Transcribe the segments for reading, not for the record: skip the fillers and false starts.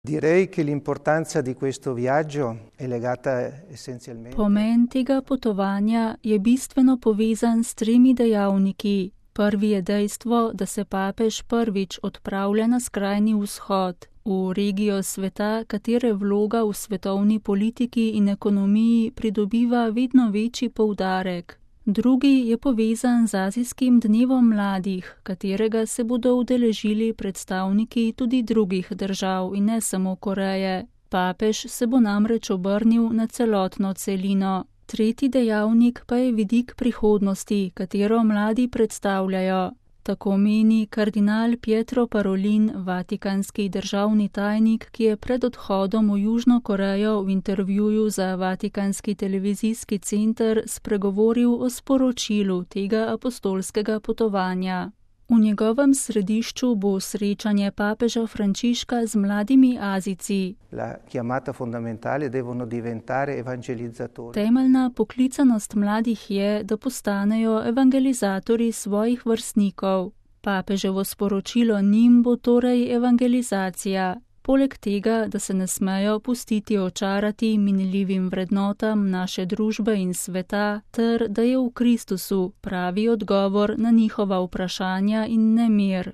Direi che l'importanza di questo viaggio è legata essenzialmente. Pomen tega potovanja je bistveno povezan s 3 dejavniki. Prvi je dejstvo, da se papež prvič odpravlja na skrajni vzhod, v regijo sveta, katere vloga v svetovni politiki in ekonomiji pridobiva vedno večji poudarek. Drugi je povezan z Azijskim dnevom mladih, katerega se bodo udeležili predstavniki tudi drugih držav in ne samo Koreje. Papež se bo namreč obrnil na celotno celino. Tretji dejavnik pa je vidik prihodnosti, katero mladi predstavljajo. Tako meni kardinal Pietro Parolin, vatikanski državni tajnik, ki je pred odhodom v Južno Korejo v intervjuju za vatikanski televizijski center spregovoril o sporočilu tega apostolskega potovanja. V njegovem središču bo srečanje papeža Frančiška z mladimi Azijci. La chiamata fondamentale devono diventare evangelizzatori. Temeljna poklicanost mladih je, da postanejo evangelizatorji svojih vrstnikov. Papeževo sporočilo njim bo torej evangelizacija. Poleg tega, da se ne smejo pustiti očarati minljivim vrednotam naše družbe in sveta, ter da je v Kristusu pravi odgovor na njihova vprašanja in nemir.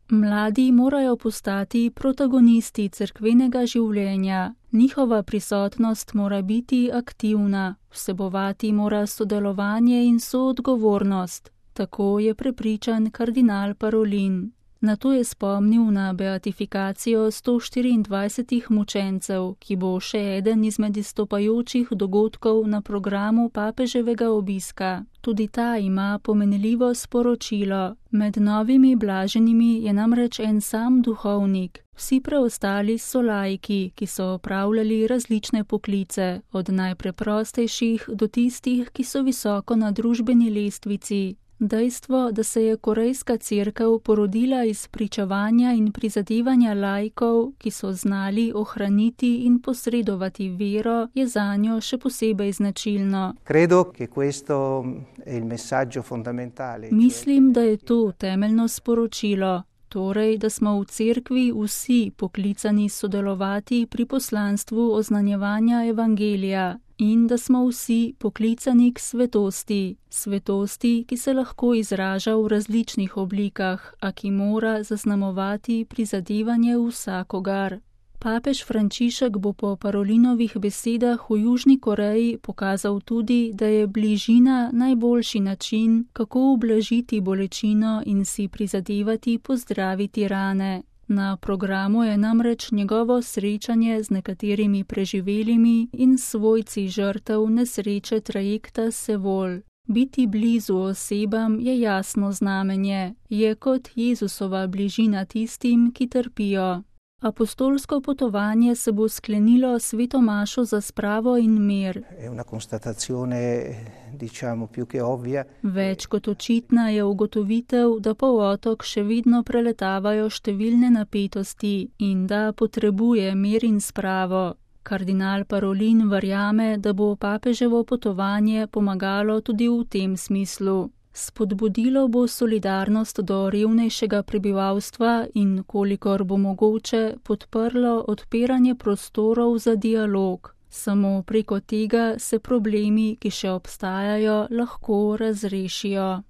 Mladi morajo postati protagonisti cerkvenega življenja. Njihova prisotnost mora biti aktivna, vsebovati mora sodelovanje in soodgovornost. Tako je prepričan kardinal Parolin. Nato je spomnil na beatifikacijo 124 mučencev, ki bo še eden izmed izstopajočih dogodkov na programu papeževega obiska. Tudi ta ima pomenljivo sporočilo. Med novimi blaženimi je namreč en sam duhovnik. Vsi preostali so laiki, ki so opravljali različne poklice, od najpreprostejših do tistih, ki so visoko na družbeni lestvici. Dejstvo, da se je korejska cerkev porodila iz pričevanja in prizadevanja laikov, ki so znali ohraniti in posredovati vero, je zanjo še posebej značilno. Credo che questo è il messaggio fondamentale. Mislim, da je to temeljno sporočilo. Torej, da smo v cerkvi vsi poklicani sodelovati pri poslanstvu oznanjevanja evangelija in da smo vsi poklicani k svetosti. Svetosti, ki se lahko izraža v različnih oblikah, a ki mora zaznamovati prizadevanje vsakogar. Papež Frančišek bo po Parolinovih besedah v Južni Koreji pokazal tudi, da je bližina najboljši način, kako ublažiti bolečino in si prizadevati pozdraviti rane. Na programu je namreč njegovo srečanje z nekaterimi preživelimi in svojci žrtev nesreče trajekta Sevol. Biti blizu osebam je jasno znamenje, je kot Jezusova bližina tistim, ki trpijo. Apostolsko potovanje se bo sklenilo sveto mašo za spravo in mir. È una constatazione, diciamo, più che ovvia. Več kot očitna je ugotovitev, da polotok še vedno preletavajo številne napetosti in da potrebuje mir in spravo. Kardinal Parolin verjame, da bo papeževo potovanje pomagalo tudi v tem smislu. Spodbudilo bo solidarnost do revnejšega prebivalstva in, kolikor bo mogoče, podprlo odpiranje prostorov za dialog. Samo preko tega se problemi, ki še obstajajo, lahko razrešijo.